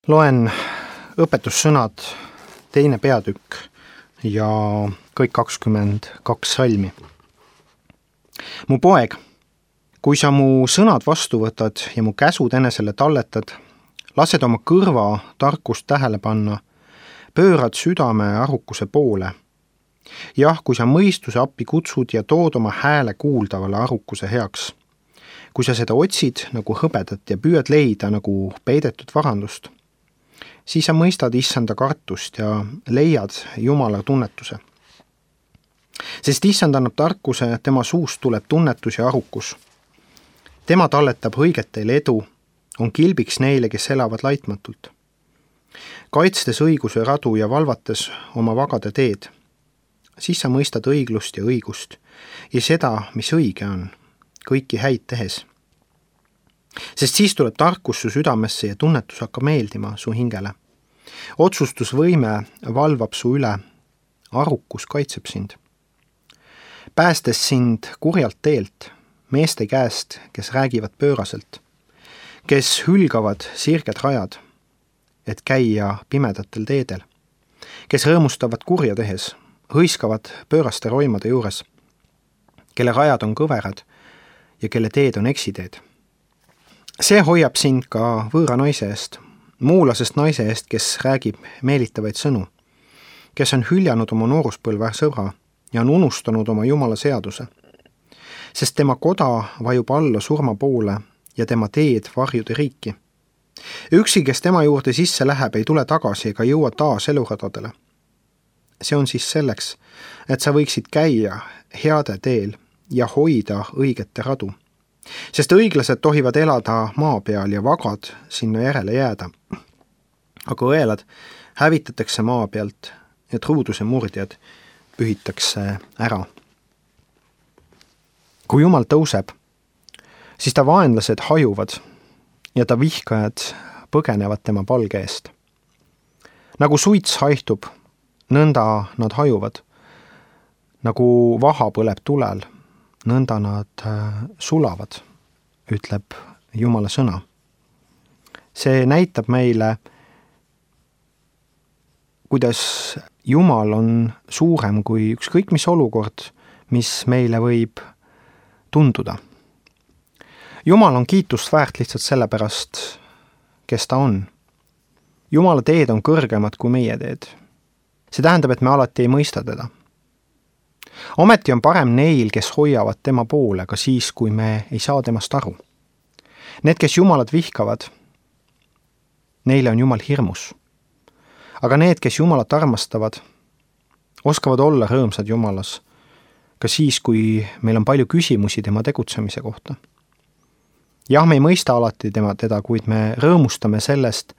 Loen õpetussõnad 2. peatükk ja kõik 22 salmi. Mu poeg, kui sa mu sõnad vastu võtad ja mu käsud enesele talletad, lased oma kõrva tarkust tähele panna, pöörad südame arukuse poole. Jah, kui sa mõistuse appi kutsud ja tood oma hääle kuuldavale arukuse heaks. Kui sa seda otsid nagu hõbedat ja püüad leida nagu peidetud varandust, siis sa mõistad issanda kartust ja leiad Jumala tunnetuse. Sest issand annab tarkuse, tema suust tuleb tunnetus ja arukus. Tema talletab õiget teil edu, on kilbiks neile, kes elavad laitmatult. Kaitstes õiguse radu ja valvates oma vagade teed, siis sa mõistad õiglust ja õigust ja seda, mis õige on, kõiki häid tehes. Sest siis tuleb tarkus su südamesse ja tunnetus hakkab meeldima su hingele. Otsustusvõime valvab su üle, arukus kaitseb sind. Päästes sind kurjalt teelt, meeste käest, kes räägivad pööraselt, kes hülgavad sirged rajad, et käia pimedatel teedel, kes rõõmustavad kurja tehes, hõiskavad pööraste roimade juures, kelle rajad on kõverad ja kelle teed on eksiteed. See hoiab sind ka võõra naise eest, muulasest naise eest, kes räägib meelitavaid sõnu, kes on hüljanud oma nooruspõlve sõbra ja on unustanud oma Jumala seaduse. Sest tema koda vajub alla surma poole ja tema teed varjude riiki. Üksi, kes tema juurde sisse läheb, ei tule tagasi ega jõua taas eluradadele. See on siis selleks, et sa võiksid käia heade teel ja hoida õigete radu. Sest õiglased tohivad elada maa peal ja vagad sinna järele jääda. Aga õelad hävitatakse maa pealt ja truuduse murdjad pühitakse ära. Kui Jumal tõuseb, siis ta vaenlased hajuvad ja ta vihkajad põgenevad tema palge eest. Nagu suits haihtub, nõnda nad hajuvad. Nagu vaha põleb tulel, nõnda nad sulavad, ütleb Jumala sõna. See näitab meile, kuidas Jumal on suurem kui ükskõik mis olukord, mis meile võib tunduda. Jumal on kiitust väärt lihtsalt sellepärast, kes ta on. Jumala teed on kõrgemad kui meie teed. See tähendab, et me alati ei mõista teda. Ometi on parem neil, kes hoiavad tema poole, ka siis, kui me ei saa temast aru. Need, kes Jumalat vihkavad, neile on Jumal hirmus. Aga need, kes Jumalat armastavad, oskavad olla rõõmsad Jumalas, ka siis, kui meil on palju küsimusi tema tegutsemise kohta. Jah, me ei mõista alati teda, kuid me rõõmustame sellest,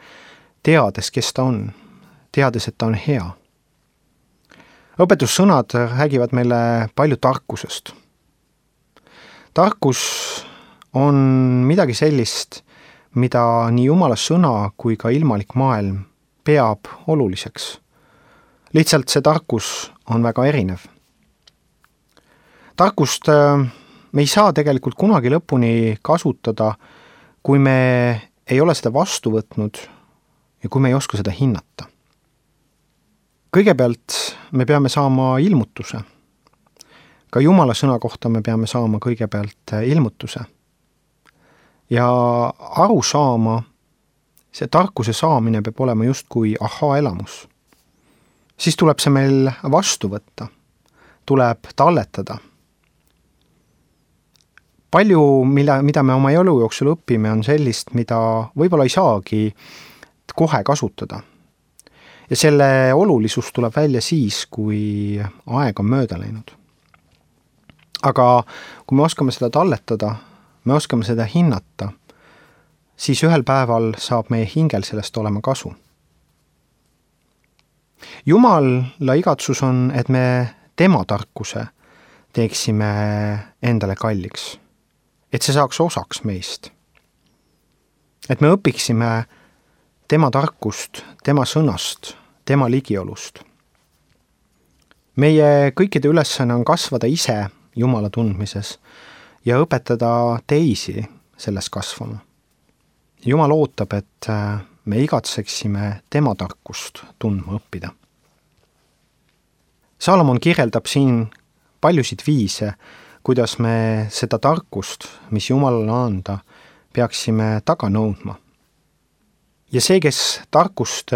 teades, kes ta on, teades, et ta on hea. Õpetussõnad räägivad meile palju tarkusest. Tarkus on midagi sellist, mida nii Jumala sõna kui ka ilmalik maailm peab oluliseks. Lihtsalt see tarkus on väga erinev. Tarkust me ei saa tegelikult kunagi lõpuni kasutada, kui me ei ole seda vastu võtnud ja kui me ei oska seda hinnata. Kõigepealt me peame saama ilmutuse. Ka Jumala sõna kohta me peame saama kõigepealt ilmutuse. Ja aru saama, see tarkuse saamine peab olema justkui aha-elamus. Siis tuleb see meil vastu võtta, tuleb talletada. Palju, mida me oma elu jooksul õpime, on sellist, mida võib-olla ei saagi kohe kasutada. Ja selle olulisus tuleb välja siis, kui aeg on mööda läinud. Aga kui me oskame seda talletada, me oskame seda hinnata, siis ühel päeval saab meie hingel sellest olema kasu. Jumala igatsus on, et me tema tarkuse teeksime endale kalliks. Et see saaks osaks meist. Et me õpiksime tema tarkust, tema sõnast, tema ligiolust. Meie kõikide ülesanne on kasvada ise Jumala tundmises ja õpetada teisi selles kasvama. Jumal ootab, et me igatseksime tema tarkust tundma õppida. Salomon kirjeldab siin paljusid viise, kuidas me seda tarkust, mis Jumalale anda, peaksime taga nõudma. Ja see, kes tarkust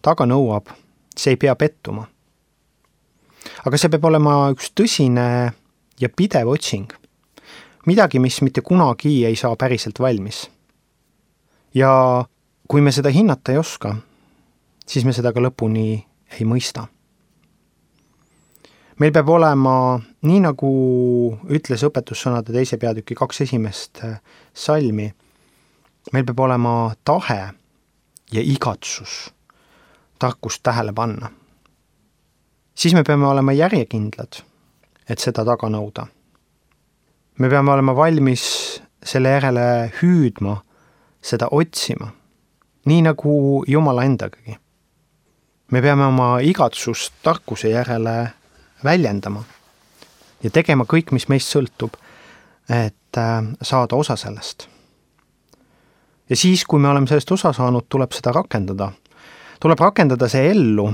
taga nõuab, see ei pea pettuma. Aga see peab olema üks tõsine ja pidev otsing. Midagi, mis mitte kunagi ei saa päriselt valmis. Ja kui me seda hinnata ei oska, siis me seda ka lõpuni ei mõista. Meil peab olema, nii nagu ütles õpetussõnade 2. peatüki 2 esimest salmi, meil peab olema tahe ja igatsus tarkust tähele panna. Siis me peame olema järjekindlad, et seda taga nõuda. Me peame olema valmis selle järele hüüdma, seda otsima, nii nagu Jumala endagagi. Me peame oma igatsust tarkuse järele väljendama ja tegema kõik, mis meist sõltub, et saada osa sellest. Ja siis, kui me oleme sellest osa saanud, tuleb seda rakendada. Tuleb rakendada see ellu,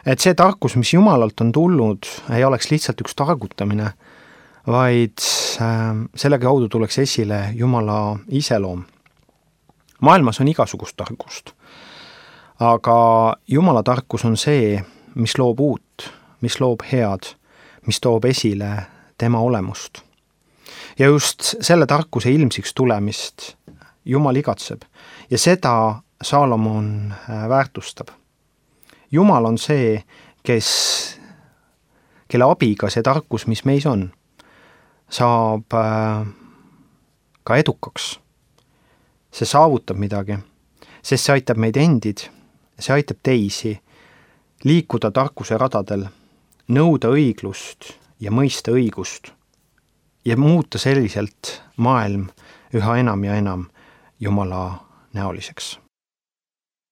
et see tarkus, mis Jumalalt on tulnud, ei oleks lihtsalt üks targutamine, vaid selle kaudu tuleks esile Jumala iseloom. Maailmas on igasugust tarkust, aga Jumala tarkus on see, mis loob uut, mis loob head, mis toob esile tema olemust. Ja just selle tarkuse ilmsiks tulemist Jumal igatseb ja seda Salomon väärtustab. Jumal on see, kelle abiga see tarkus, mis meis on, saab ka edukaks. See saavutab midagi, sest see aitab meid endid, see aitab teisi liikuda tarkuse radadel, nõuda õiglust ja mõista õigust ja muuta selliselt maailm üha enam ja enam Jumala näoliseks.